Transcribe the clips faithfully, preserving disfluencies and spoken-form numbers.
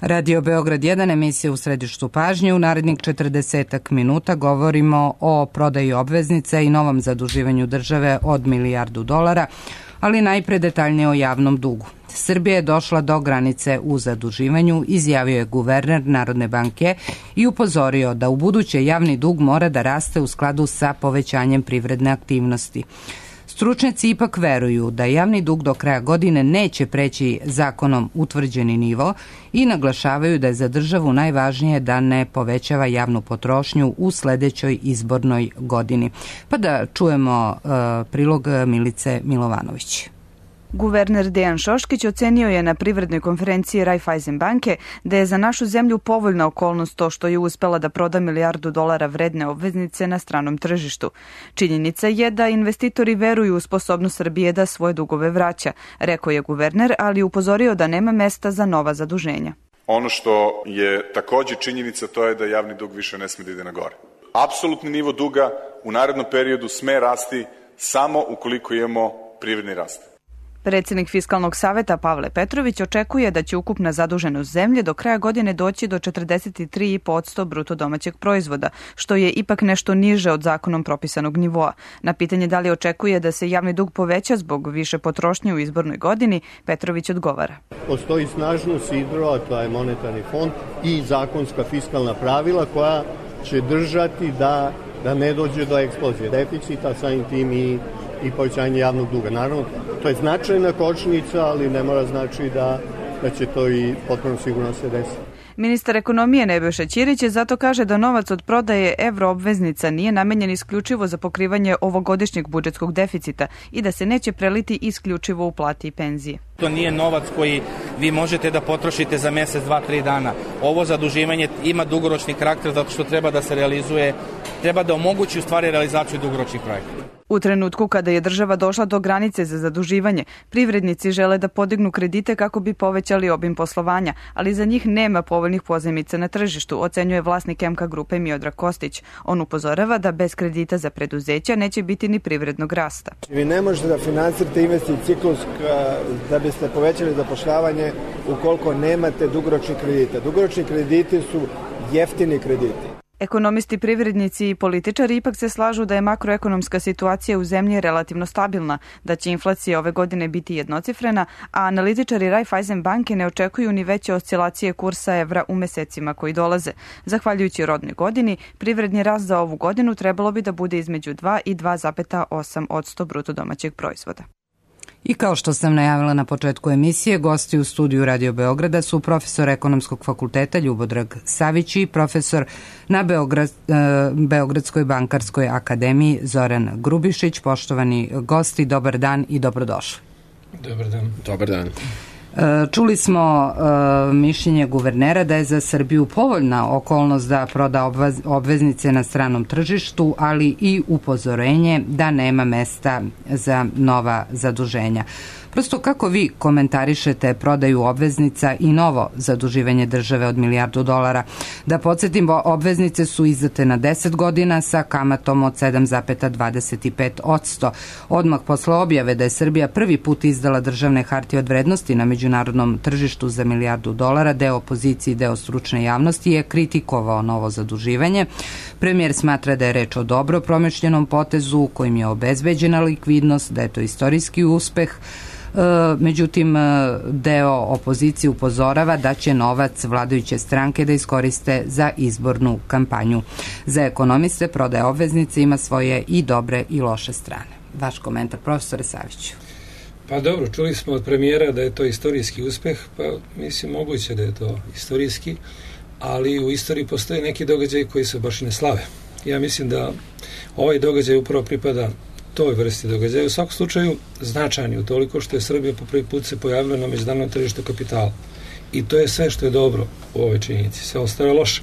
Radio Beograd jedan, emisija u središtu pažnje. U narednih četrdesetak minuta govorimo o prodaji obveznica i novom zaduživanju države od milijardu dolara, ali najpre detaljnije o javnom dugu. Srbija je došla do granice u zaduživanju, izjavio je guverner Narodne banke i upozorio da u buduće javni dug mora da raste u skladu sa povećanjem privredne aktivnosti. Stručnjaci ipak veruju da javni dug do kraja godine neće preći zakonom utvrđeni nivo i naglašavaju da je za državu najvažnije da ne povećava javnu potrošnju u sledećoj izbornoj godini. Pa da čujemo uh, prilog Milice Milovanović. Guverner Dejan Šoškić ocenio je na privrednoj konferenciji Raiffeisen banke da je za našu zemlju povoljna okolnost to što je uspela da proda milijardu dolara vredne obveznice na stranom tržištu. Činjenica je da investitori veruju u sposobnost Srbije da svoje dugove vraća, rekao je guverner, ali upozorio da nema mesta za nova zaduženja. Ono što je takođe činjenica, to je da javni dug više ne sme da ide na gore. Apsolutni nivo duga u narednom periodu sme rasti samo ukoliko imamo privredni rast. Predsednik Fiskalnog saveta Pavle Petrović očekuje da će ukupna zaduženost zemlje do kraja godine doći do četrdeset tri zarez pet posto bruto domaćeg proizvoda, što je ipak nešto niže od zakonom propisanog nivoa. Na pitanje da li očekuje da se javni dug poveća zbog više potrošnje u izbornoj godini, Petrović odgovara. Postoji snažno sidro, a to je monetarni fond i zakonska fiskalna pravila koja će držati da, da ne dođe do eksplozije deficita, samim tim i i povećanje javnog duga. Naravno, to je značajna kočnica, ali ne mora znači da, da će to i potpuno sigurno se desiti. Ministar ekonomije Nebojša Ćirić je zato kaže da novac od prodaje evroobveznica nije namenjen isključivo za pokrivanje ovogodišnjeg budžetskog deficita i da se neće preliti isključivo u plati i penzije. To nije novac koji vi možete da potrošite za mesec, dva, tri dana. Ovo zaduživanje ima dugoročni karakter zato što treba da se realizuje, treba da omogući u stvari realizaciju dugoročnih projekata. U trenutku kada je država došla do granice za zaduživanje, privrednici žele da podignu kredite kako bi povećali obim poslovanja, ali za njih nema povoljnih pozajmica na tržištu, ocenjuje vlasnik M K grupe Miodrag Kostić. On upozorava da bez kredita za preduzeća neće biti ni privrednog rasta. Vi ne možete da finansirate investicijski ciklus da biste povećali zapošljavanje ukoliko nemate dugoročni kredite. Dugoročni krediti su jeftini krediti. Ekonomisti, privrednici i političari ipak se slažu da je makroekonomska situacija u zemlji relativno stabilna, da će inflacija ove godine biti jednocifrena, a analitičari Raiffeisen banke ne očekuju ni veće oscilacije kursa evra u mesecima koji dolaze. Zahvaljujući rodnoj godini, privredni rast za ovu godinu trebalo bi da bude između dva i dva zarez osam posto bruto domaćeg proizvoda. I kao što sam najavila na početku emisije, gosti u studiju Radio Beograda su profesor Ekonomskog fakulteta Ljubodrag Savić i profesor na Beograd, Beogradskoj bankarskoj akademiji Zoran Grubišić. Poštovani gosti, dobar dan i dobrodošli. Dobar dan. Dobar dan. Čuli smo uh, mišljenje guvernera da je za Srbiju povoljna okolnost da proda obveznice na stranom tržištu, ali i upozorenje da nema mesta za nova zaduženja. Prosto kako vi komentarišete prodaju obveznica i novo zaduživanje države od milijardu dolara? Da podsjetimo, obveznice su izdate na deset godina sa kamatom od sedam zarez dvadeset pet posto. Odmah posle objave da je Srbija prvi put izdala državne hartije od vrednosti na međunarodnom tržištu za milijardu dolara, deo opozicije i deo stručne javnosti je kritikovao novo zaduživanje. Premijer smatra da je reč o dobro promišljenom potezu kojim je obezbeđena likvidnost, da je to istorijski uspeh. Međutim, deo opozicije upozorava da će novac vladajuće stranke da iskoriste za izbornu kampanju. Za ekonomiste prodaja obveznice ima svoje i dobre i loše strane. Vaš komentar, profesore Saviću. Pa dobro, čuli smo od premijera da je to istorijski uspeh, pa mislim moguće da je to istorijski, ali u istoriji postoje neki događaj koji se baš ne slave. Ja mislim da ovaj događaj upravo pripada toj vrsti događaja. U svakom slučaju značajni u toliko što je Srbija po prvi put se pojavila na međunarodnom tržištu kapitala. I to je sve što je dobro u ovoj činjenici. Sve ostalo je loše.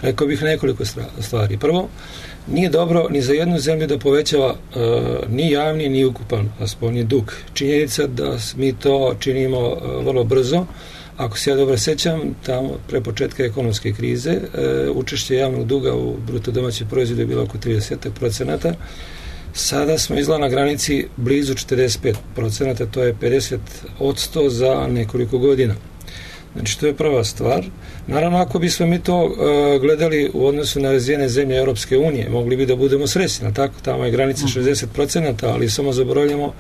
Rekao bih nekoliko stvari. Prvo, nije dobro ni za jednu zemlju da povećava uh, ni javni, ni ukupan spoljni dug. Činjenica da mi to činimo uh, vrlo brzo. Ako se ja dobro sećam, tamo pre početka ekonomske krize uh, učešće javnog duga u bruto domaćem proizvodu je bilo oko trideset procenata. Sada smo izgleda na granici blizu četrdeset pet procenata, to je pedeset posto za nekoliko godina. Znači, to je prva stvar. Naravno, ako bismo mi to uh, gledali u odnosu na razvijene zemlje Europske unije, mogli bi da budemo srećni, tako? Tamo je granica šezdeset procenata, ali samo zaboravljamo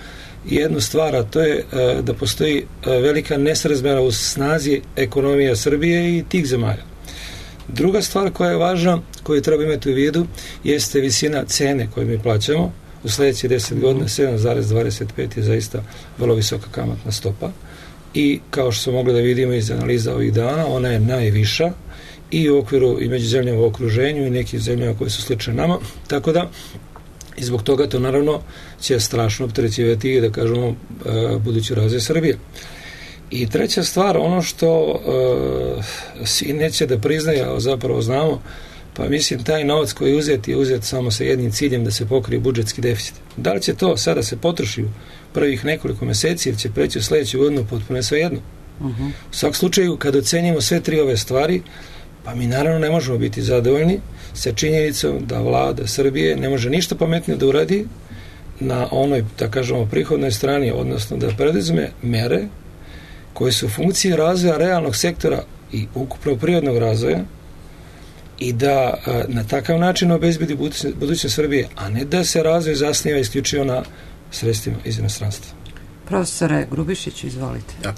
jednu stvar, a to je uh, da postoji uh, velika nesrazmjera u snazi ekonomija Srbije i tih zemalja. Druga stvar koja je važna, koju treba imati u vidu, jeste visina cene koju mi plaćamo. U sljedećih deset godina sedam zarez dvadeset pet je zaista vrlo visoka kamatna stopa i kao što smo mogli da vidimo iz analiza ovih dana, ona je najviša i u okviru i među zemljama u okruženju i nekih zemljama koje su slične nama, tako da i zbog toga to naravno će strašno opterećivati i da kažemo budući razvoj Srbije. I treća stvar, ono što uh, svi neće da priznaju, a zapravo znamo, pa mislim taj novac koji je uzet je uzet samo sa jednim ciljem da se pokrije budžetski deficit. Da li će to sada se potroši u prvih nekoliko meseci ili će preći u sljedeću godinu, potpuno je sve jedno. Uh-huh. U svakom slučaju, kad ocenjimo sve tri ove stvari, pa mi naravno ne možemo biti zadovoljni sa činjenicom da vlada Srbije ne može ništa pametnije da uradi na onoj, da kažemo, prihodnoj strani, odnosno da preduzme mere koje su u funkciji razvoja realnog sektora i ukupnog prirodnog razvoja i da a, na takav način obezbedi budućnost Srbije, a ne da se razvoj zasniva isključivo na sredstvima iz inostranstva. Profesore Grubišiću, izvolite. Ja.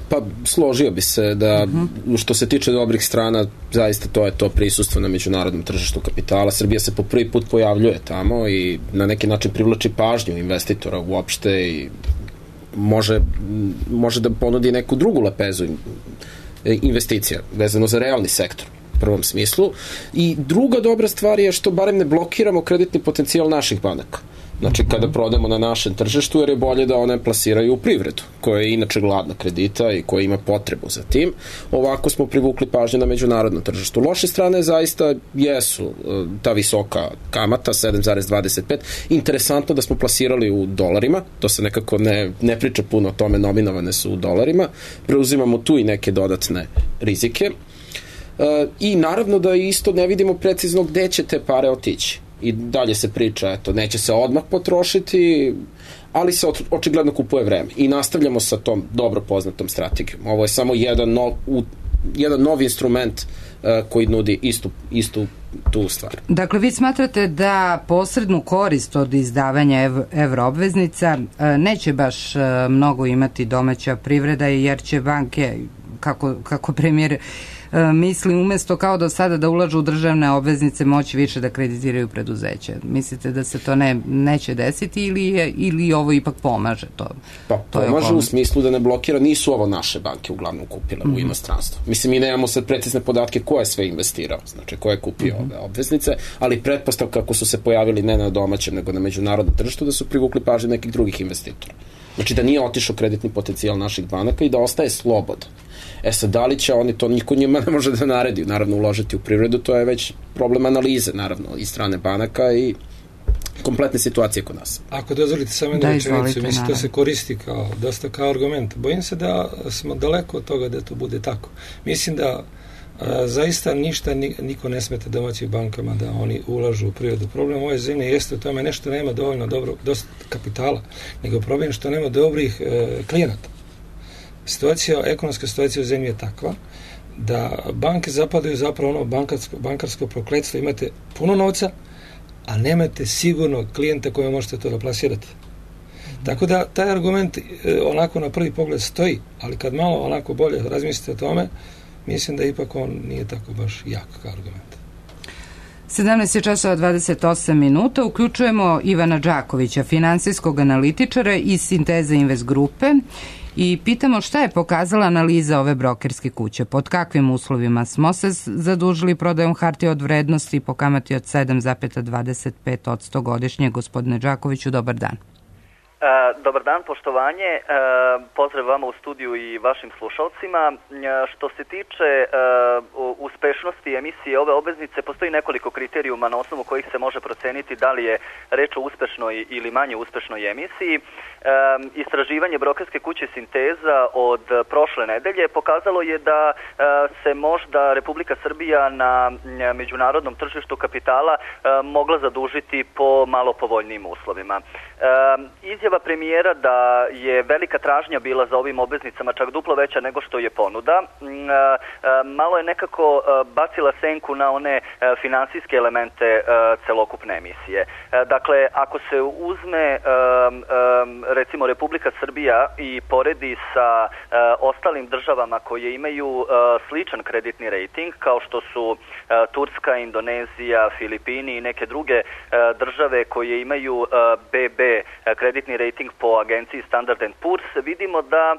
Pa složio bi se da uh-huh. što se tiče dobrih strana, zaista to je to prisustvo na međunarodnom tržištu kapitala. Srbija se po prvi put pojavljuje tamo i na neki način privlači pažnju investitora uopšte i može, može da ponudi neku drugu lepezu investicija vezano za realni sektor u prvom smislu. I druga dobra stvar je što barem ne blokiramo kreditni potencijal naših banaka. Znači, kada prodamo na našem tržištu, jer je bolje da one plasiraju u privredu, koja je inače gladna kredita i koja ima potrebu za tim. Ovako smo privukli pažnju na međunarodnom tržištu. Loše strane zaista jesu ta visoka kamata, sedam zarez dvadeset pet. Interesantno da smo plasirali u dolarima, to se nekako ne, ne priča puno o tome, nominovane su u dolarima. Preuzimamo tu i neke dodatne rizike. E, I naravno da isto ne vidimo precizno gde će te pare otići. I dalje se priča, eto, neće se odmah potrošiti, ali se očigledno kupuje vreme. I nastavljamo sa tom dobro poznatom strategijom. Ovo je samo jedan nov, u, jedan nov instrument uh, koji nudi istu, istu tu stvar. Dakle, vi smatrate da posrednu korist od izdavanja ev, evroobveznica uh, neće baš uh, mnogo imati domaća privreda, jer će banke, kako, kako premijer misli, umjesto kao do sada da ulažu u državne obveznice, moći više da kreditiraju preduzeće. Mislite da se to ne, neće desiti ili, je, ili ovo ipak pomaže? To, pa to pomaže u smislu da ne blokira, nisu ovo naše banke uglavnom kupile mm-hmm. u inostranstvu. Mislim, mi nemamo sad precizne podatke ko je sve investirao, znači ko je kupio mm-hmm. ove obveznice, ali pretpostavka kako su se pojavili ne na domaćem, nego na međunarodnom tržištu, da su privukli pažnju nekih drugih investitora. Znači da nije otišao kreditni potencijal naših banaka i da ostaje slobodan. E sad, da li će oni to, niko njima ne može da naredi, naravno uložiti u privredu, to je već problem analize, naravno, i strane banaka i kompletne situacije kod nas. Ako dozvolite samo jednu rečenicu, mislim, to se koristi kao, dosta kao argument. Bojim se da smo daleko od toga da to bude tako. Mislim da a, zaista ništa, niko ne smeta domaćim bankama da oni ulažu u privredu. Problem ove zemlje jeste u tome nešto nema dovoljno dobro, dosta kapitala, nego problem što nema dobrih e, klijenata. Situacija, ekonomska situacija u zemlji je takva da banke zapadaju zapravo ono bankarsko, bankarsko prokletstvo. Imate puno novca, a nemate sigurno klijenta koje možete to da plasirate. Tako da taj argument e, onako na prvi pogled stoji, ali kad malo onako bolje razmislite o tome, mislim da ipak on nije tako baš jak kao argument. sedamnaest je časova dvadeset osam minuta. Uključujemo Ivana Đakovića, finansijskog analitičara iz Sinteze Invest grupe, i pitamo šta je pokazala analiza ove brokerske kuće, pod kakvim uslovima smo se zadužili prodajom hartija od vrednosti po kamati od sedam zarez dvadeset pet posto godišnje. Gospodine Đakoviću, dobar dan. E, dobar dan, poštovanje, e, pozdrav vama u studiju i vašim slušalcima. E, što se tiče e, uspešnosti emisije ove obveznice, postoji nekoliko kriterijuma na osnovu kojih se može proceniti da li je reč o uspešnoj ili manje uspešnoj emisiji. E, istraživanje brokerske kuće Sinteza od prošle nedelje pokazalo je da e, se možda Republika Srbija na međunarodnom tržištu kapitala e, mogla zadužiti po malo povoljnijim uslovima. E, izjava izjava premijera da je velika tražnja bila za ovim obveznicama, čak duplo veća nego što je ponuda, malo je nekako bacila senku na one finansijske elemente celokupne emisije. Dakle, ako se uzme recimo Republika Srbija i poredi sa ostalim državama koje imaju sličan kreditni rating, kao što su Turska, Indonezija, Filipini i neke druge države koje imaju be be kreditni rating po agenciji Standard and Poor's, vidimo da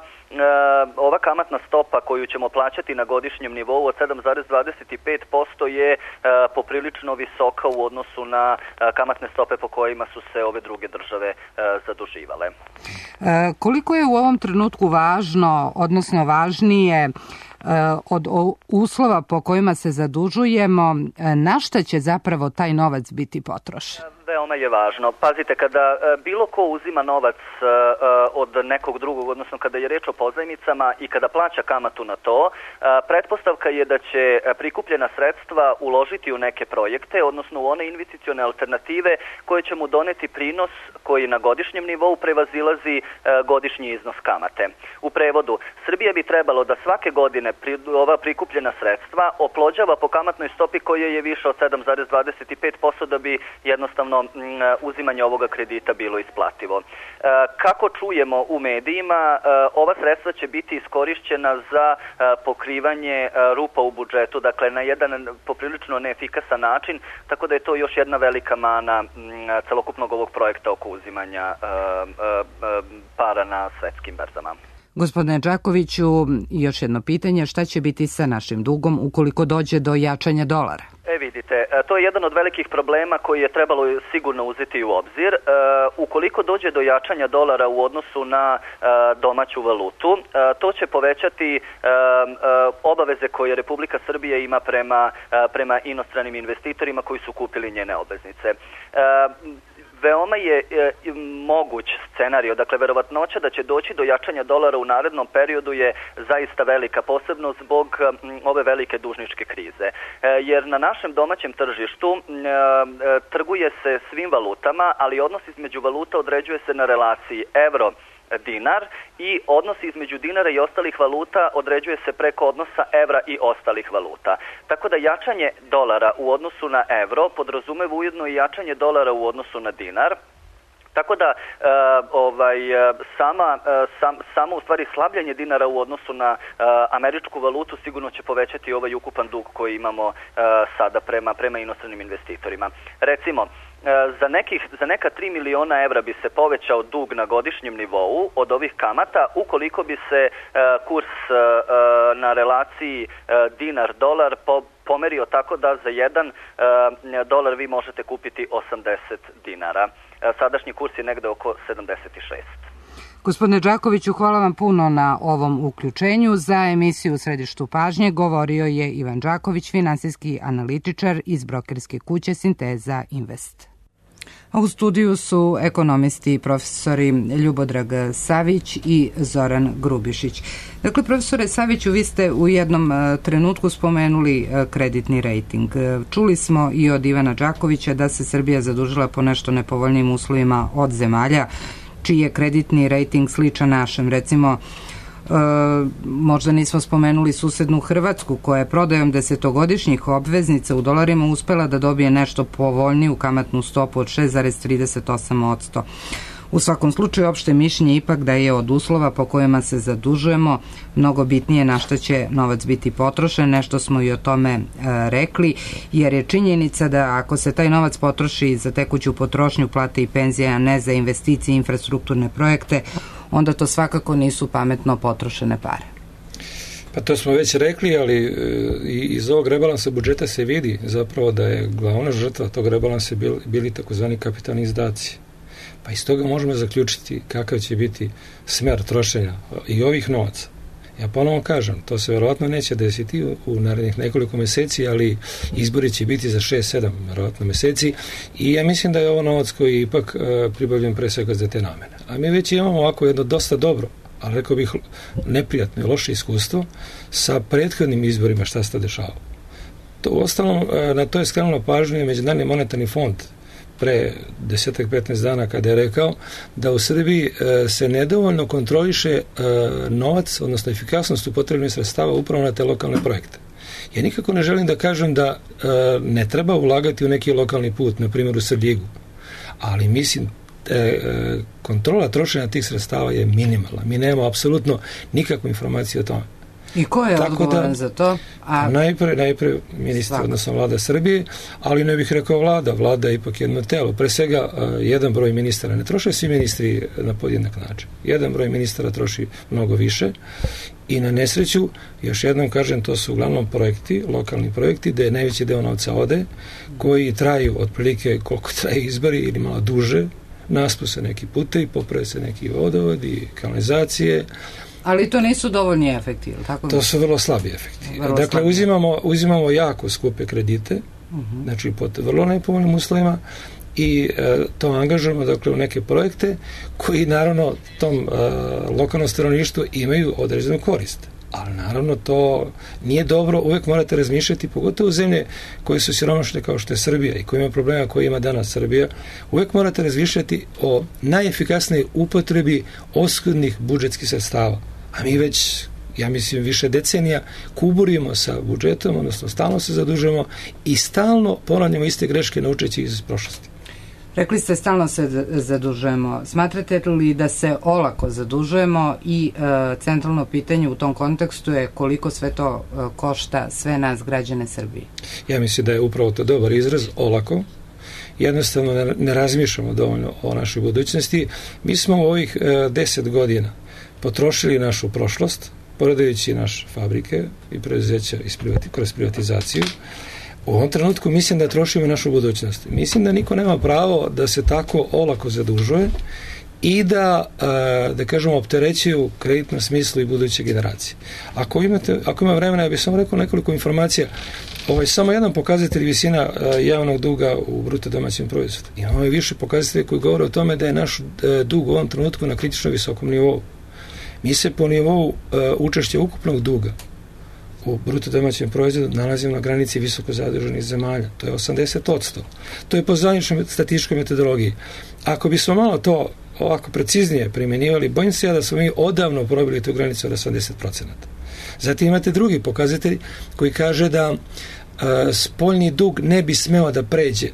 ova kamatna stopa koju ćemo plaćati na godišnjem nivou od sedam zarez dvadeset pet posto je poprilično visoka u odnosu na kamatne stope po kojima su se ove druge države zaduživale. Koliko je u ovom trenutku važno, odnosno važnije od uslova po kojima se zadužujemo, na šta će zapravo taj novac biti potrošen? Veoma je važno. Pazite, kada bilo ko uzima novac od nekog drugog, odnosno kada je reč o pozajmicama i kada plaća kamatu na to, pretpostavka je da će prikupljena sredstva uložiti u neke projekte, odnosno u one investicione alternative koje će mu doneti prinos koji na godišnjem nivou prevazilazi godišnji iznos kamate. U prevodu, Srbija bi trebalo da svake godine ova prikupljena sredstva oplođava po kamatnoj stopi koja je više od sedam zarez dvadeset pet posto da bi jednostavno uzimanje ovoga kredita bilo isplativo. Kako čujemo u medijima, ova sredstva će biti iskorišćena za pokrivanje rupa u budžetu, dakle na jedan poprilično neefikasan način, tako da je to još jedna velika mana celokupnog ovog projekta oko uzimanja para na svetskim berzama. Gospodine Đakoviću, još jedno pitanje, šta će biti sa našim dugom ukoliko dođe do jačanja dolara? E vidite, to je jedan od velikih problema koji je trebalo sigurno uzeti u obzir. E, ukoliko dođe do jačanja dolara u odnosu na e, domaću valutu, e, to će povećati e, e, obaveze koje Republika Srbija ima prema, e, prema inostranim investitorima koji su kupili njene obveznice. E, Veoma je e, moguć scenario, dakle verovatnoća da će doći do jačanja dolara u narednom periodu je zaista velika, posebno zbog m, ove velike dužničke krize. E, jer na našem domaćem tržištu e, e, trguje se svim valutama, ali odnos između valuta određuje se na relaciji euro dinar i odnos između dinara i ostalih valuta određuje se preko odnosa evra i ostalih valuta. Tako da jačanje dolara u odnosu na evro podrazumeva ujedno i jačanje dolara u odnosu na dinar. Tako da e, ovaj, sama, sam, samo u stvari slabljenje dinara u odnosu na e, američku valutu sigurno će povećati ovaj ukupan dug koji imamo e, sada prema, prema inostranim investitorima. Recimo, Za, nekih, za neka tri miliona evra bi se povećao dug na godišnjem nivou od ovih kamata ukoliko bi se e, kurs e, na relaciji e, dinar-dolar po, pomerio tako da za jedan e, dolar vi možete kupiti osamdeset dinara. E, sadašnji kurs je negde oko sedamdeset šest. Gospodine Đakoviću, hvala vam puno na ovom uključenju. Za emisiju U središtu pažnje govorio je Ivan Đaković, finansijski analitičar iz brokerske kuće Sinteza Invest. A u studiju su ekonomisti profesori Ljubodrag Savić i Zoran Grubišić. Dakle, profesore Saviću, vi ste u jednom trenutku spomenuli kreditni rejting. Čuli smo i od Ivana Đakovića da se Srbija zadužila po nešto nepovoljnim uslovima od zemalja čiji je kreditni rejting sličan našem. Recimo, e, možda nismo spomenuli susednu Hrvatsku koja je prodajom desetogodišnjih obveznica u dolarima uspela da dobije nešto povoljniju kamatnu stopu od šest zarez trideset osam posto. U svakom slučaju, opšte mišljenje ipak da je od uslova po kojima se zadužujemo mnogo bitnije na šta će novac biti potrošen. Nešto smo i o tome e, rekli, jer je činjenica da ako se taj novac potroši za tekuću potrošnju, plate i penzije, a ne za investicije i infrastrukturne projekte, onda to svakako nisu pametno potrošene pare. Pa to smo već rekli, ali e, iz ovog rebalansa budžeta se vidi zapravo da je glavna žrtva tog rebalansa bil, bili takozvani kapitalni izdaci. Pa iz toga možemo zaključiti kakav će biti smer trošenja i ovih novaca. Ja ponovno kažem, to se verovatno neće desiti u, u narednih nekoliko meseci, ali izbori će biti za šest sedam verovatno meseci i ja mislim da je ovo novac koji je ipak e, pribavljen pre svega za te namene. A mi već imamo ovako jedno dosta dobro, ali rekao bih neprijatno i loše iskustvo sa prethodnim izborima šta se to dešavalo. To, u ostalom, e, na to je skrenulo pažnju Međunarodni monetarni fond pre desetak petnaest dana kada je rekao da u Srbiji e, se nedovoljno kontroliše e, novac, odnosno efikasnost upotrebnih sredstava upravo na te lokalne projekte. Ja nikako ne želim da kažem da e, ne treba ulagati u neki lokalni put, na primjer u Srljigu, ali mislim e, kontrola trošenja tih sredstava je minimalna. Mi nemamo apsolutno nikakvu informaciju o tome. I ko je Tako odgovoran da, za to? A... Najpre, najpre ministar, odnosno vlada Srbije, ali ne bih rekao vlada. Vlada je ipak jedno telo. Pre svega, uh, jedan broj ministara, ne troše svi ministri na podjednak način. Jedan broj ministara troši mnogo više i na nesreću, još jednom kažem, to su uglavnom projekti, lokalni projekti, gde najveći deo novca ode, koji traju otprilike koliko traju izbori ili malo duže, naspu se neki putevi, poprave se neki vodovodi, kanalizacije. Ali to nisu dovoljni efekti, ili tako? To su vrlo slabi efekti. Vrlo dakle, slabi. Uzimamo, uzimamo jako skupe kredite, uh-huh. znači pod vrlo nepovoljnim uslovima i e, to angažujemo dakle, u neke projekte koji naravno tom e, lokalnom stanovništvu imaju određenu korist. Ali naravno to nije dobro, uvek morate razmišljati, pogotovo zemlje koje su siromašne kao što je Srbija i koje ima problema koje ima danas Srbija, uvek morate razmišljati o najefikasnijoj upotrebi oskudnih budžetskih sredstava. A mi već, ja mislim, više decenija kuburimo sa budžetom, odnosno stalno se zadužujemo i stalno ponavljamo iste greške naučeći iz prošlosti. Rekli ste stalno se zadužujemo. Smatrate li da se olako zadužujemo i e, centralno pitanje u tom kontekstu je koliko sve to e, košta sve nas građane Srbije? Ja mislim da je upravo to dobar izraz, olako. Jednostavno ne, ne razmišljamo dovoljno o našoj budućnosti. Mi smo u ovih e, deset godina potrošili našu prošlost, prodajući naše fabrike i preduzeća kroz privatizaciju. U ovom trenutku mislim da trošimo našu budućnost. Mislim da niko nema pravo da se tako olako zadužuje i da, da kažemo, opterećuju kreditnom smislu i buduće generacije. Ako imate, ako ima vremena, ja bih samo rekao nekoliko informacija. Ovo je samo jedan pokazatelj visina javnog duga u bruto domaćem proizvodu. Imamo i više pokazatelja koji govore o tome da je naš dug u ovom trenutku na kritično visokom nivou. Mi se po nivou učešća ukupnog duga u bruto domaćem proizvodu nalazimo na granici visoko zaduženih zemalja. To je osamdeset posto. To je po zvaničnoj statističkoj metodologiji. Ako bismo malo to ovako preciznije primjenjivali, bojim se ja da smo mi odavno probili tu granicu od osamdeset posto. Zatim imate drugi pokazatelj koji kaže da a, spoljni dug ne bi smeo da pređe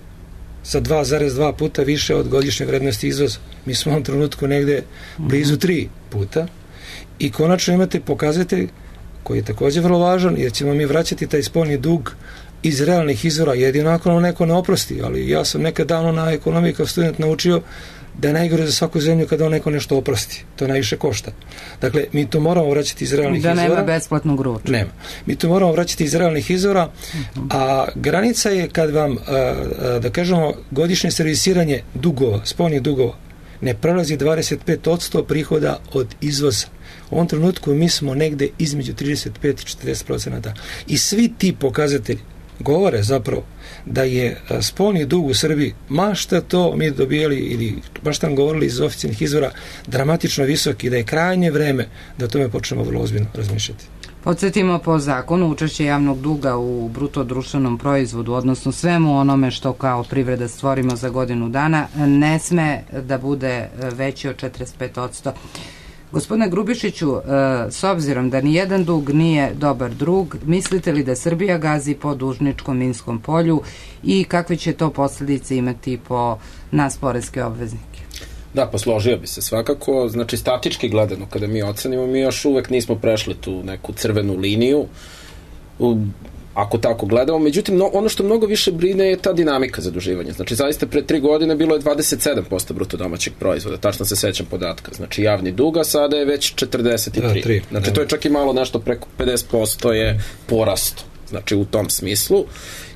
sa dva zarez dva puta više od godišnje vrednosti izvoza. Mi smo u ovom trenutku negde blizu tri puta i konačno imate pokazatelj koji je također vrlo važan, jer ćemo mi vraćati taj spoljni dug iz realnih izvora, jedino ako nam neko ne oprosti, ali ja sam nekad davno na ekonomiji kao student naučio da je najgore za svaku zemlju kada on neko nešto oprosti. To najviše košta. Dakle, mi to moramo vraćati iz realnih da izvora. Da nema besplatnog ručka. Nema. Mi to moramo vraćati iz realnih izvora, uh-huh. a granica je kad vam, a, a, da kažemo, godišnje servisiranje dugova, spoljnih dugova, ne prelazi dvadeset pet posto prihoda od izvoza. U ovom trenutku mi smo negde između trideset pet i četrdeset procenata. I svi ti pokazatelji govore zapravo da je spoljni dug u Srbiji, ma šta to mi dobijali ili baš tam govorili iz oficijalnih izvora, dramatično visok i da je krajnje vreme da o tome počnemo vrlo ozbiljno razmišljati. Podsjetimo, po zakonu učešće javnog duga u bruto društvenom proizvodu, odnosno svemu onome što kao privreda stvorimo za godinu dana, ne sme da bude veći od četrdeset pet posto. Gospodine Grubišiću, s obzirom da ni jedan dug nije dobar drug, mislite li da Srbija gazi po dužničkom minskom polju i kakve će to posljedice imati po nas poreske obveznike? Da, pa složio bi se svakako. Znači, statički gledano, kada mi ocenimo, mi još uvek nismo prešli tu neku crvenu liniju, ako tako gledamo. Međutim, no, ono što mnogo više brine je ta dinamika zaduživanja. Znači, zaista pre tri godine bilo je dvadeset sedam posto bruto domaćeg proizvoda, tačno se sećam podatka. Znači, javni duga sada je već četrdeset tri. Da, tri, znači, da. To je čak i malo nešto preko pedeset posto je porasto. Znači, u tom smislu.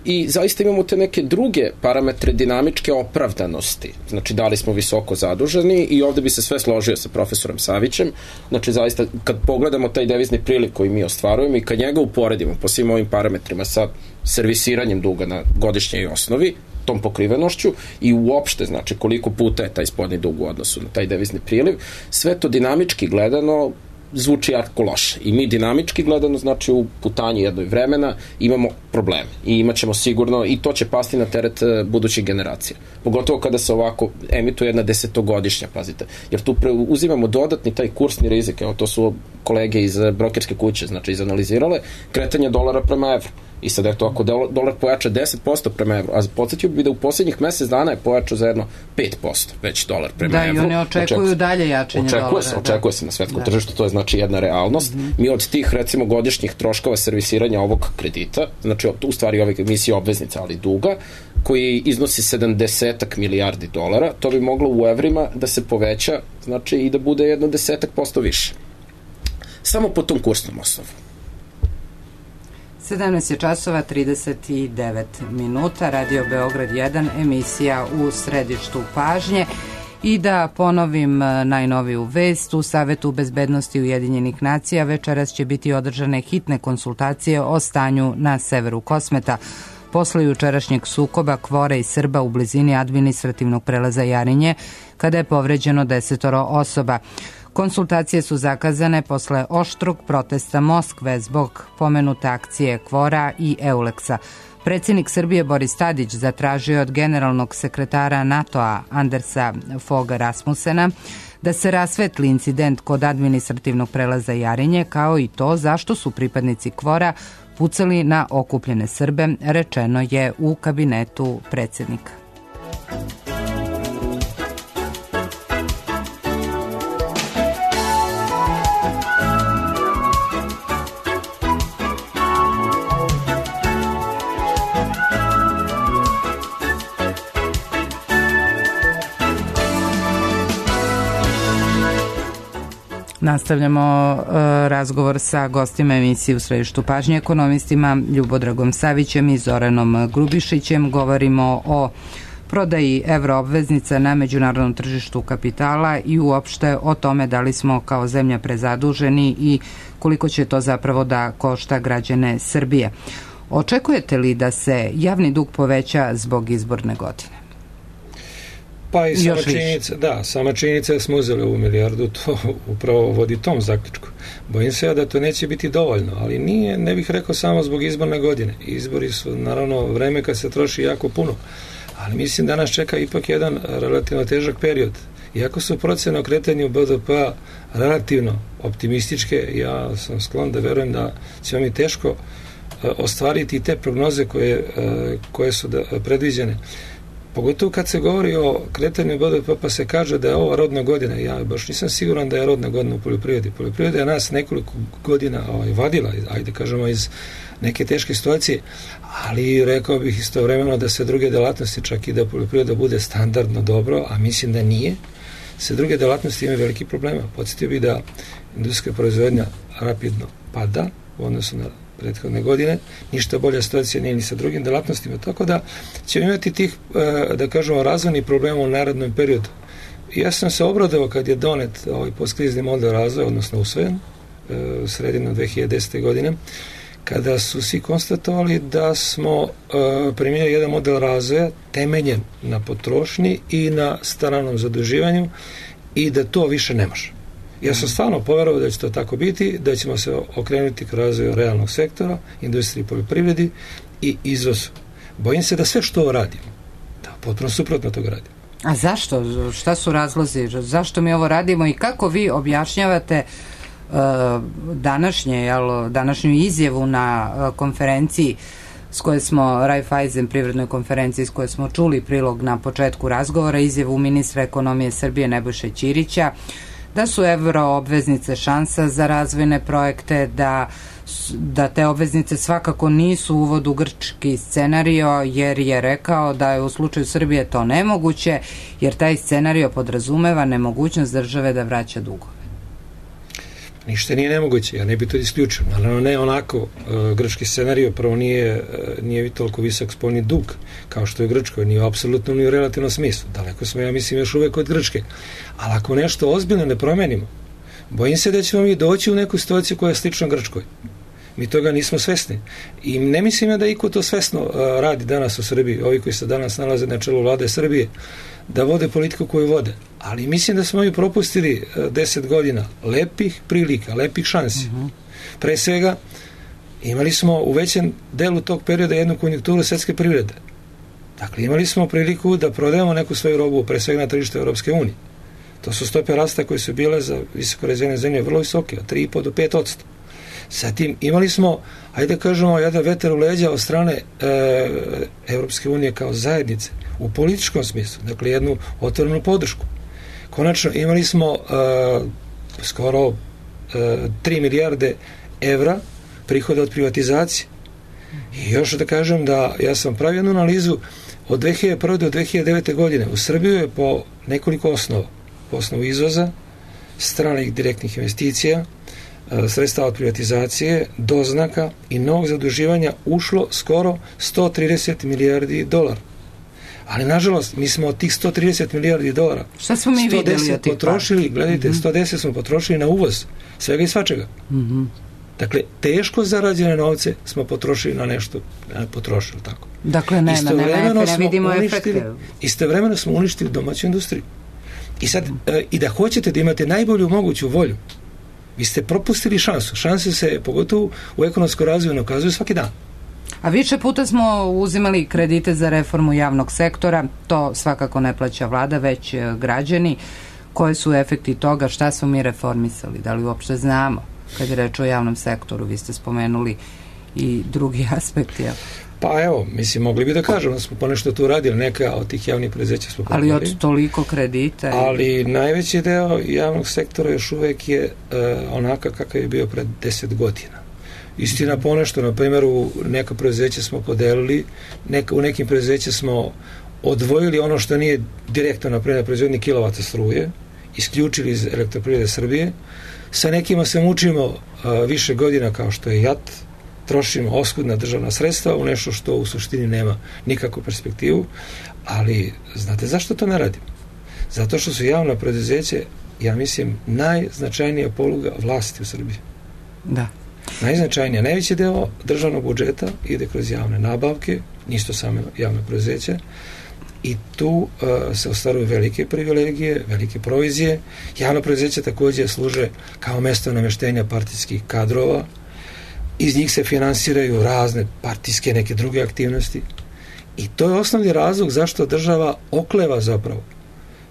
I zaista imamo te neke druge parametre dinamičke opravdanosti. Znači, da li smo visoko zaduženi i ovde bi se sve složio sa profesorom Savićem. Znači, zaista, kad pogledamo taj devizni priliv koji mi ostvarujemo i kad njega uporedimo po svim ovim parametrima sa servisiranjem duga na godišnjoj osnovi, tom pokrivenošću i uopšte, znači, koliko puta je taj spoljni dug u odnosu na taj devizni priliv, sve to dinamički gledano zvuči jako loše. I mi dinamički gledano, znači u putanji jednoj vremena imamo probleme i imat ćemo sigurno, i to će pasti na teret budućih generacija. Pogotovo kada se ovako emituje jedna desetogodišnja, pazite. Jer tu pre, uzimamo dodatni taj kursni rizik, evo to su kolege iz brokerske kuće, znači izanalizirale, kretanje dolara prema evru. I sad eto, ako dolar pojača deset posto prema evru, a podsjetio bi da u poslednjih mesec dana je pojačao za jedno pet posto već dolar prema da, evru. Da, i oni očekuju očekuje, dalje jačanje očekuje dolara. Se, očekuje da. se na svetskom da. tržištu, to je znači jedna realnost. Mm-hmm. Mi od tih, recimo, godišnjih troškova servisiranja ovog kredita, znači u stvari ove emisije obveznica, ali duga, koji iznosi sedamdeset milijardi dolara, to bi moglo u evrima da se poveća, znači i da bude jedno desetak posto više. Samo po tom kursnom osnovu. sedamnaest je časova trideset devet minuta, Radio Beograd jedan, emisija u središtu pažnje. I da ponovim najnoviju vest, u Savetu bezbednosti Ujedinjenih nacija večeras će biti održane hitne konsultacije o stanju na severu Kosmeta. Posle jučerašnjeg sukoba Kvora i Srba u blizini administrativnog prelaza Jarinje, kada je povređeno desetoro osoba. Konsultacije su zakazane posle oštrog protesta Moskve zbog pomenute akcije Kvora i Euleksa. Predsjednik Srbije Boris Tadić zatražio od generalnog sekretara NATO-a Andersa Foga Rasmusena da se rasvetli incident kod administrativnog prelaza Jarinje, kao i to zašto su pripadnici Kvora pucali na okupljene Srbe, rečeno je u kabinetu predsjednika. Nastavljamo uh, razgovor sa gostima emisije u središtu pažnje, ekonomistima Ljubodragom Savićem i Zoranom Grubišićem. Govorimo o prodaji evroobveznica na međunarodnom tržištu kapitala i uopšte o tome da li smo kao zemlja prezaduženi i koliko će to zapravo da košta građane Srbije. Očekujete li da se javni dug poveća zbog izborne godine? Pa i sama činjenica, da, sama činjenica da smo uzeli ovu milijardu, to upravo vodi tom zaključku. Bojim se da to neće biti dovoljno, ali nije, ne bih rekao samo zbog izborne godine. Izbori su naravno vreme kad se troši jako puno, ali mislim da nas čeka ipak jedan relativno težak period. Iako su procene o kretanju B D P-a relativno optimističke, ja sam sklon da verujem da ćemo mi teško ostvariti te prognoze koje, koje su predviđene. Pogotovo kad se govori o kretanju B D P, pa se kaže da je ova rodna godina. Ja baš nisam siguran da je rodna godina u poljoprivredi. Poljoprivreda je nas nekoliko godina ovaj, vadila, ajde kažemo, iz neke teške situacije, ali rekao bih istovremeno da se druge delatnosti, čak i da poljoprivreda bude standardno dobro, a mislim da nije, se druge delatnosti imaju veliki problema. Podsjetio bih da industrijska proizvodnja rapidno pada u odnosu na prethodne godine, ništa bolja situacija nije ni sa drugim delatnostima, tako da ćemo imati tih, da kažemo, razvojnih problema u narednom periodu. Ja sam se obradovao kad je donet ovaj postkrizni model razvoja, odnosno usvojen, sredinom dve hiljade desete. godine, kada su svi konstatovali da smo primijenili jedan model razvoja temeljen na potrošnji i na stranom zaduživanju i da to više ne može. Ja sam stvarno poverovao da će to tako biti, da ćemo se okrenuti k razvoju realnog sektora, industriji i poljoprivredi i izvozu. Bojim se da sve što radimo, da potpuno suprotno toga radimo. A zašto? Šta su razlozi? Zašto mi ovo radimo i kako vi objašnjavate uh, današnje, jel, današnju izjavu na uh, konferenciji s koje smo, Raiffeisen privrednoj konferenciji s koje smo čuli prilog na početku razgovora, izjavu ministra ekonomije Srbije Nebojše Ćirića, da su evroobveznice šansa za razvojne projekte, da, da te obveznice svakako nisu uvod u grčki scenario, jer je rekao da je u slučaju Srbije to nemoguće, jer taj scenario podrazumeva nemogućnost države da vraća dugove. Ništa nije nemoguće, ja ne bi to isključio. Naravno ne onako, grčki scenario prvo nije, nije toliko visok spoljni dug kao što je Grčkoj, nije u apsolutno ni u relativnom smislu. Daleko smo, ja mislim, još uvek od Grčke. Ali ako nešto ozbiljno ne promenimo, bojim se da ćemo mi doći u neku situaciju koja je slična Grčkoj. Mi toga nismo svesni. I ne mislim ja da iko to svesno uh, radi danas u Srbiji, ovi koji se danas nalaze na čelu vlade Srbije, da vode politiku koju vode. Ali mislim da smo mi propustili uh, deset godina lepih prilika, lepih šansi. Uh-huh. Pre svega, imali smo u većem delu tog perioda jednu konjunkturu svetske privrede. Dakle, imali smo priliku da prodajemo neku svoju robu, pre svega na tržištu Europske unije. To su stope rasta koje su bile za visoko razvijene zemlje vrlo visoke, od tri i po do pet posto. Zatim imali smo, ajde da kažemo, jedan vetar u leđa od strane e, Europske unije kao zajednice, u političkom smislu, dakle jednu otvorenu podršku. Konačno imali smo e, skoro e, tri milijarde evra prihoda od privatizacije. I još da kažem da ja sam pravio jednu analizu od dve hiljade prve do dve hiljade devete godine. U Srbiju je po nekoliko osnova, po osnovu izvoza, stranih direktnih investicija, sredstava od privatizacije, doznaka i novog zaduživanja ušlo skoro sto trideset milijardi dolara. Ali, nažalost, mi smo od tih sto trideset milijardi dolara šta smo mi sto deset potrošili, gledajte, mm-hmm. sto deset smo potrošili na uvoz, svega i svačega. Mm-hmm. Dakle, teško zarađene novce smo potrošili na nešto, ne potrošili tako. Dakle, nema, nema, ne vidimo efekte. Istovremeno smo uništili domaću industriju. I sad, mm. e, i da hoćete da imate najbolju moguću volju, vi ste propustili šansu. Šanse se, pogotovo u ekonomskom razvoju, ne okazuju svaki dan. A više puta smo uzimali kredite za reformu javnog sektora, to svakako ne plaća vlada, već građani. Koje su efekti toga, šta smo mi reformisali, da li uopšte znamo? Kad je reč o javnom sektoru, vi ste spomenuli i drugi aspekti. Ja. Pa evo, mislim, mogli bi da kažemo da smo ponešto tu radili, neka od tih javnih preduzeća smo ali pogledali. Od toliko kredita. Ali najveći deo javnog sektora još uvek je uh, onaka kakav je bio pred deset godina. Istina, ponešto, na primjer, u neka preduzeća smo podelili, neka, u nekim preduzeća smo odvojili ono što nije direktno, na primjer, proizvodnji kilovata struje, isključili iz Elektroprivrede Srbije. Sa nekima se mučimo uh, više godina kao što je J A T, trošimo oskudna državna sredstva u nešto što u suštini nema nikakvu perspektivu, ali znate zašto to ne radimo? Zato što su javna preduzeće, ja mislim, najznačajnija poluga vlasti u Srbiji. Da. Najznačajnija, najveći deo državnog budžeta ide kroz javne nabavke, nisto samo javne preduzeće, i tu uh, se ostvaruju velike privilegije, velike provizije. Javna preduzeća također služe kao mesto nameštenja partijskih kadrova, iz njih se finansiraju razne partijske neke druge aktivnosti i to je osnovni razlog zašto država okleva zapravo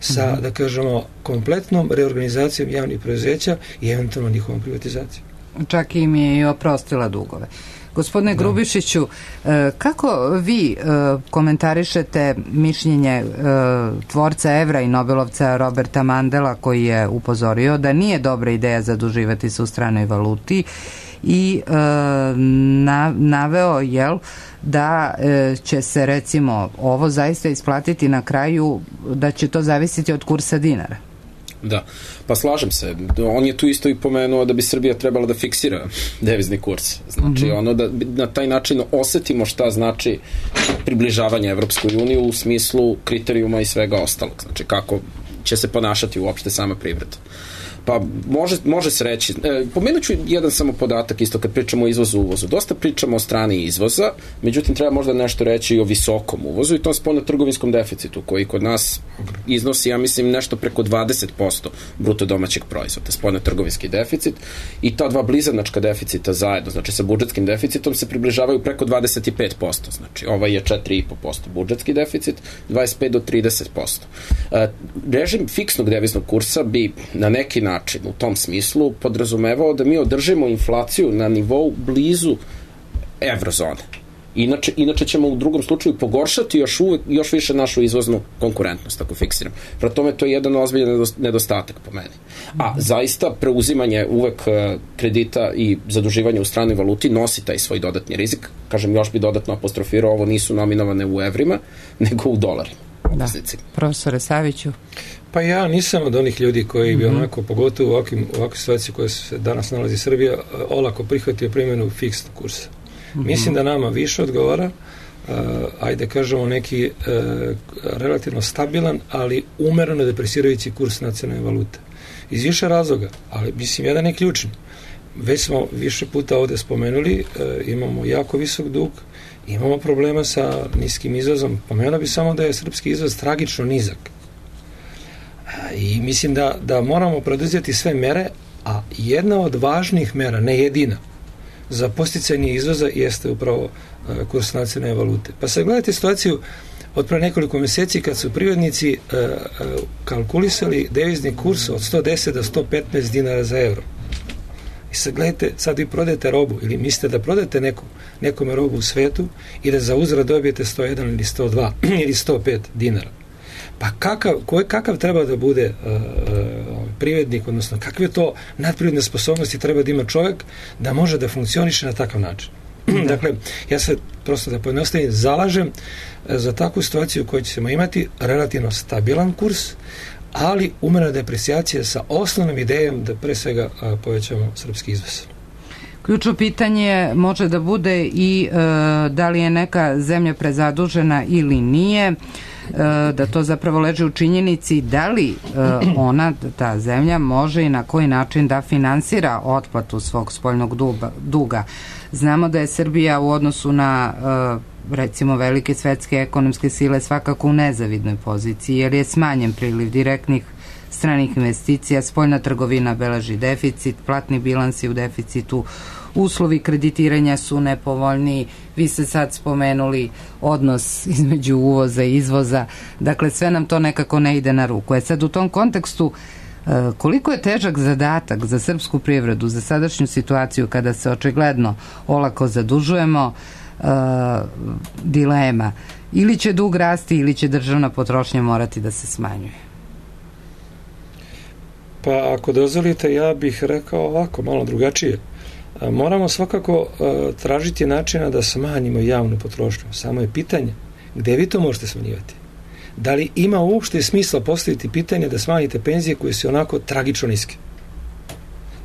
sa, mm-hmm. da kažemo, kompletnom reorganizacijom javnih preduzeća i eventualno njihovom privatizacijom. Čak im je i oprostila dugove. Gospodine da. Grubišiću, kako vi komentarišete mišljenje tvorca evra i Nobelovca Roberta Mandela, koji je upozorio da nije dobra ideja zaduživati se u stranoj valuti i na, naveo jel, da će se recimo ovo zaista isplatiti na kraju, da će to zavisiti od kursa dinara? Da, pa slažem se. On je tu isto i pomenuo da bi Srbija trebala da fiksira devizni kurs. Znači, mm-hmm. ono da na taj način osetimo šta znači približavanje Evropskoj uniji u smislu kriterijuma i svega ostalog. Znači, kako će se ponašati uopšte sama privreda. Pa može, može se reći, e, pomenut ću jedan samo podatak isto kad pričamo o izvozu uvozu. Dosta pričamo o strani izvoza, međutim treba možda nešto reći i o visokom uvozu i tom spoljnotrgovinskom deficitu koji kod nas iznosi, ja mislim, nešto preko dvadeset posto bruto domaćeg proizvoda, spoljnotrgovinski deficit i ta dva blizanačka deficita zajedno, znači sa budžetskim deficitom se približavaju preko dvadeset pet posto, znači ovaj je četiri i po posto budžetski deficit, dvadeset pet do trideset posto. E, režim fiksnog deviznog kursa bi na neki način način u tom smislu podrazumevao da mi održimo inflaciju na nivou blizu evrozone. Inače, inače ćemo u drugom slučaju pogoršati još, uvek, još više našu izvoznu konkurentnost, ako fiksiram. Prema tome, to je jedan ozbiljan nedostatak po meni. A zaista preuzimanje uvek kredita i zaduživanje u stranoj valuti nosi taj svoj dodatni rizik. Kažem, još bi dodatno apostrofirao, ovo nisu nominovane u evrima, nego u dolarima. Da. Profesore Saviću. Pa ja nisam od onih ljudi koji bi mm-hmm. onako, pogotovo u ovakvim, ovakvim situaciji koje se danas nalazi Srbija, olako prihvatio primjenu fiksnog kursa. Mm-hmm. Mislim da nama više odgovara, uh, ajde kažemo neki uh, relativno stabilan, ali umereno depresirajući kurs nacionalne valute. Iz više razloga, ali mislim jedan je ključni. već smo više puta ovde spomenuli, e, imamo jako visok dug, imamo problema sa niskim izvozom. Pomenuo bi samo da je srpski izvoz tragično nizak. I mislim da, da moramo preduzeti sve mere, a jedna od važnih mera, ne jedina, za posticanje izvoza jeste upravo kurs nacionalne valute. Pa sad gledajte situaciju od pre nekoliko meseci kad su privrednici uh, uh, kalkulisali devizni kurs od sto deset do sto petnaest dinara za euro. I sad gledajte, sad vi prodajete robu ili mislite da prodajete neku, nekome robu u svetu i da za uzvrat dobijete sto jedan ili sto dva ili sto pet dinara. Pa kakav, koji, kakav treba da bude uh, uh, privrednik, odnosno kakve to nadprirodne sposobnosti treba da ima čovjek da može da funkcioniše na takav način. Dakle, ja se prosto da pojednostavim zalažem za takvu situaciju u kojoj ćemo imati relativno stabilan kurs, ali umerena deprecijacija sa osnovnom idejom da pre svega a, povećamo srpski izvoz. Ključno pitanje može da bude i e, da li je neka zemlja prezadužena ili nije, e, da to zapravo leži u činjenici da li e, ona, ta zemlja, može i na koji način da finansira otplatu svog spoljnog duga. Znamo da je Srbija u odnosu na e, recimo velike svetske ekonomske sile svakako u nezavidnoj poziciji, jer je smanjen priliv direktnih stranih investicija, spoljna trgovina beleži deficit, platni bilansi u deficitu, uslovi kreditiranja su nepovoljniji, vi ste sad spomenuli odnos između uvoza i izvoza, dakle sve nam to nekako ne ide na ruku. E sad u tom kontekstu koliko je težak zadatak za srpsku privredu, za sadašnju situaciju kada se očigledno olako zadužujemo, uh, dilema, ili će dug rasti ili će državna potrošnja morati da se smanjuje? Pa ako dozvolite, ja bih rekao ovako, malo drugačije. Moramo svakako uh, tražiti načina da smanjimo javnu potrošnju. Samo je pitanje gde vi to možete smanjivati. Da li ima uopšte smisla postaviti pitanje da smanjite penzije koje su onako tragično niske?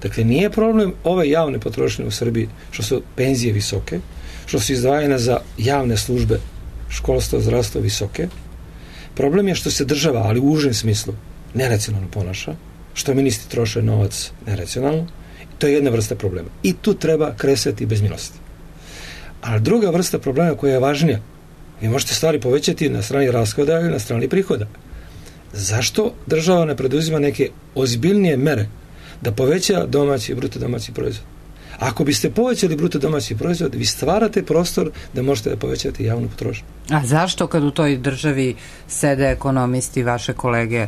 Dakle, nije problem ove javne potrošnje u Srbiji što su penzije visoke, što su izdvajene za javne službe, školstvo, zdravstvo visoke. Problem je što se država, ali u užem smislu, neracionalno ponaša, što ministri troše novac neracionalno. To je jedna vrsta problema. I tu treba kresati bez milosti. Ali druga vrsta problema koja je važnija, vi možete stvari povećati na strani rashoda ili na strani prihoda. Zašto država ne preduzima neke ozbiljnije mere da poveća domaći, bruto domaći proizvod? Ako biste povećali bruto domaći proizvod, vi stvarate prostor da možete da povećate javnu potrošnju. A zašto kad u toj državi sede ekonomisti, vaše kolege?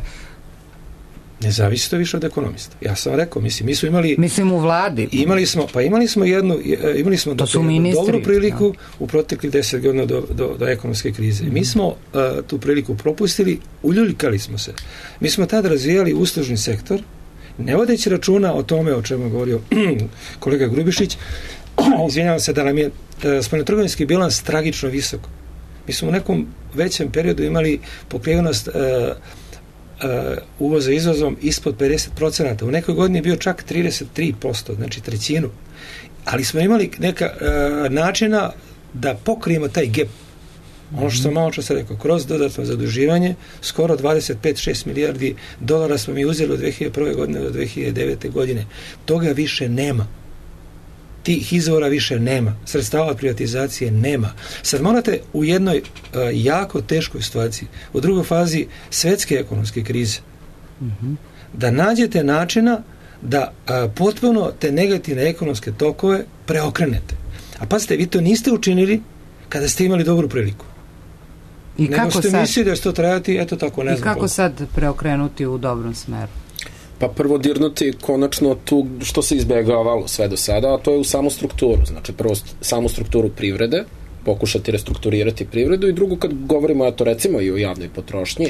Ne zavisi to više od ekonomista. Ja sam rekao, mislim, mi smo imali... Mislim u vladi. Imali smo, pa imali smo jednu, imali smo do, ministri, dobru priliku da. u proteklih deset godina do, do, do ekonomske krize. Mi smo uh, tu priliku propustili, uljuljkali smo se. Mi smo tad razvijali uslužni sektor, ne vodeći računa o tome o čemu je govorio kolega Grubišić, izvinjavam se da nam je uh, spoljnotrgovinski bilans tragično visok. Mi smo u nekom većem periodu imali pokrivenost uh, Uh, uvoza izvozom ispod pedeset procenata. U nekoj godini je bio čak trideset tri posto, znači trećinu. Ali smo imali neka uh, načina da pokrijemo taj gap. Ono što sam malo čas rekao, kroz dodatno zaduživanje, skoro dvadeset pet do dvadeset šest milijardi dolara smo mi uzeli od dve hiljade prve godine do dve hiljade devete godine. Toga više nema. Tih izvora više nema. Sredstava od privatizacije nema. Sad morate u jednoj uh, jako teškoj situaciji, u drugoj fazi svetske ekonomske krize, mm-hmm. da nađete načina da uh, potpuno te negativne ekonomske tokove preokrenete. A pazite, vi to niste učinili kada ste imali dobru priliku. I nego kako ste sad? mislili da će to trajati, eto tako, ne I znam. kako kako sad preokrenuti u dobrom smeru? Pa prvo dirnuti konačno tu što se izbjegavalo sve do sada, a to je u samu strukturu. Znači prvo samu strukturu privrede, pokušati restrukturirati privredu, i drugo kad govorimo, eto recimo i o javnoj potrošnji,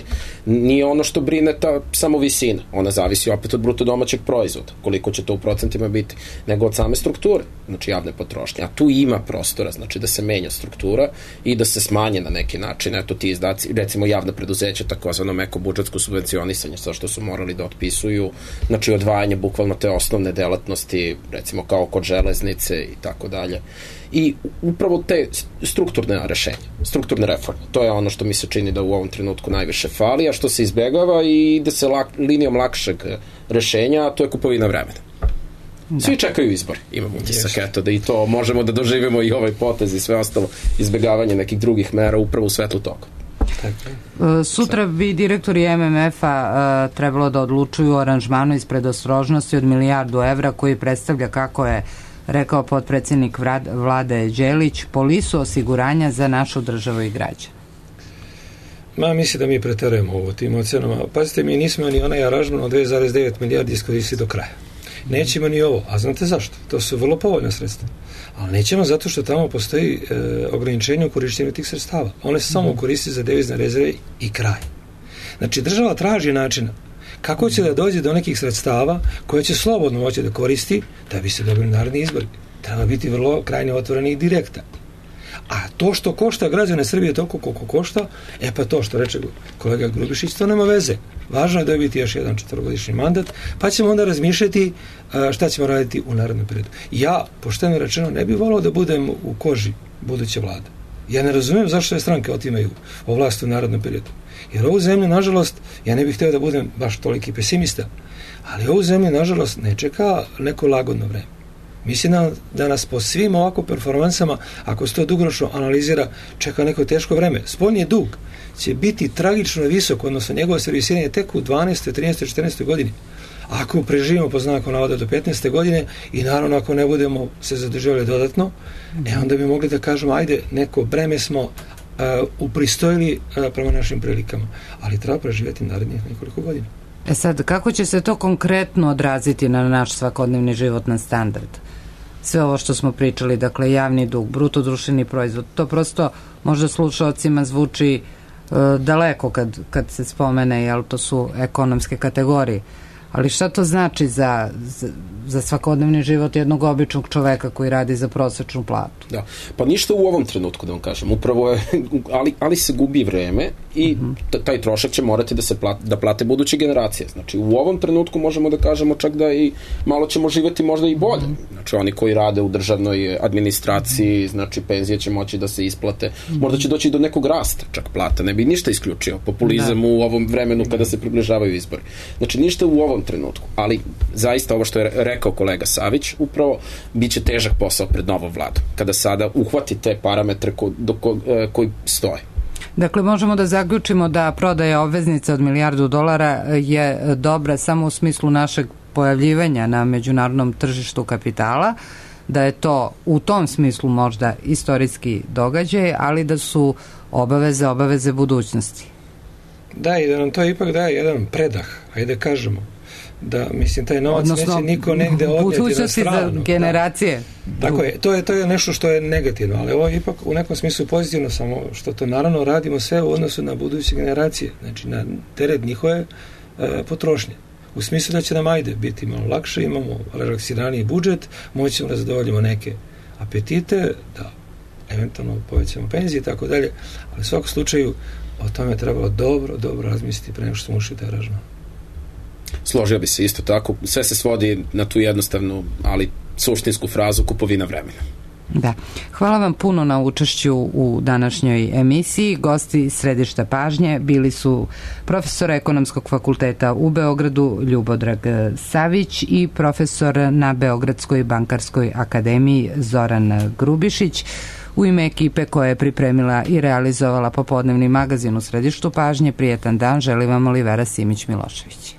nije ono što brine ta samo visina, ona zavisi opet od bruto domaćeg proizvoda, koliko će to u procentima biti, nego od same strukture, znači javne potrošnje, a tu ima prostora, znači da se menja struktura i da se smanje na neki način, eto ti izdaci, recimo javna preduzeća, takozvano meko budžetsko subvencionisanje, sa što su morali da otpisuju, znači odvajanje bukvalno te osnovne delatnosti, recimo kao kod železnice i tako dalje. I upravo te strukturne rešenja, strukturne reforme, to je ono što mi se čini da u ovom trenutku najviše fali, a što se izbegava i ide se lak, linijom lakšeg rešenja, a to je kupovina vremena. Da. Svi čekaju izbor, imam utisak, eto, da i to možemo da doživimo i ovaj potez i sve ostalo, izbegavanje nekih drugih mera upravo u svetlu toga. Sutra bi direktori em em ef-a trebalo da odlučuju o aranžmanu iz predostrožnosti od milijardu evra koji predstavlja, kako je rekao potpredsjednik vlade Đelić, polisu osiguranja za našu državu i građane. Ma, mislim da mi preterujemo ovo tim ocenama. Pazite, mi nismo ni onaj aranžman od dve zarez devet milijardi iskoristiti do kraja. Nećemo ni ovo, a znate zašto? To su vrlo povoljna sredstva. Ali nećemo zato što tamo postoji e, ograničenje u korištenju tih sredstava. One se samo koristi za devizne rezerve i kraj. Znači, država traži načina kako će da dođe do nekih sredstava koje će slobodno moći da koristi da bi se dobili naredni izbori. Treba biti vrlo krajnje otvoreni i direktan. A to što košta građane Srbije toliko koliko košta, e pa to što reče kolega Grubišić, to nema veze. Važno je dobiti još jedan četvorogodišnji mandat, pa ćemo onda razmišljati šta ćemo raditi u narednom periodu. Ja, pošteno rečeno, ne bih volao da budem u koži buduće vlade. Ja ne razumijem zašto je stranke otimaju o vlasti u narednom periodu. Jer ovu zemlju, nažalost, ja ne bih hteo da budem baš toliki pesimista, ali ovu zemlju, nažalost, ne čeka neko lagodno vreme. Mislim da nas po svim ovako performansama, ako se to dugoročno analizira, čeka neko teško vreme. Spoljni dug će biti tragično visok, odnosno njegovo servisiranje tek u dvanaestoj, trinaestoj, četrnaestoj godini. Ako preživimo po znaku navoda do petnaeste godine i naravno ako ne budemo se zadržavali dodatno, e onda bi mogli da kažemo, ajde, neko breme smo uh, upristojili uh, prema našim prilikama, ali treba preživjeti narednih nekoliko godina. E sad, kako će se to konkretno odraziti na naš svakodnevni životni standard? Sve ovo što smo pričali, dakle, javni dug, bruto društveni proizvod, to prosto možda slušalcima zvuči e, daleko kad, kad se spomene, jel, to su ekonomske kategorije. Ali šta to znači za, za, za svakodnevni život jednog običnog čoveka koji radi za prosečnu platu? Da, pa ništa u ovom trenutku, da vam kažem. Upravo je, ali, ali se gubi vreme i taj trošak će morati da se plate, da plate buduće generacije. Znači, u ovom trenutku možemo da kažemo čak da i malo ćemo živjeti možda i bolje. Znači, oni koji rade u državnoj administraciji, znači, penzije će moći da se isplate. Možda će doći do nekog rasta, čak plata. Ne bi ništa isključio. Populizam da. U ovom vremenu kada se približavaju izbori. Znači, ništa u ovom trenutku. Ali, zaista, ovo što je rekao kolega Savić, upravo bit će težak posao pred novom vladom. Kada sada uhvati te parametre ko, do ko, e, koji stoje. Dakle, možemo da zaključimo da prodaja obveznica od milijardu dolara je dobra samo u smislu našeg pojavljivanja na međunarodnom tržištu kapitala, da je to u tom smislu možda istorijski događaj, ali da su obaveze, obaveze budućnosti. Da, i da nam to ipak daje jedan predah, ajde kažemo. Da, mislim, taj novac odnosno, neće niko negde odnijeti na stranu. Za generacije. Da. Tako je, to je, to je nešto što je negativno, ali ovo je ipak u nekom smislu pozitivno, samo što to naravno radimo sve u odnosu na buduće generacije, znači na teret njihove e, potrošnje. U smislu da će nam ajde biti malo lakše, imamo relaksiraniji budžet, moćemo da zadovoljimo neke apetite, da eventualno povećamo penzije i tako dalje, ali u svakom slučaju o tome trebalo dobro, dobro razmisliti pre nego što smo ušli taj aranžman. Složio bi se isto tako. Sve se svodi na tu jednostavnu, ali suštinsku frazu kupovina vremena. Da. Hvala vam puno na učešću u današnjoj emisiji. Gosti središta pažnje bili su profesor Ekonomskog fakulteta u Beogradu Ljubodrag Savić i profesor na Beogradskoj bankarskoj akademiji Zoran Grubišić. U ime ekipe koja je pripremila i realizovala popodnevni magazin u središtu pažnje, prijetan dan, želi vam Olivera Simić-Milošević.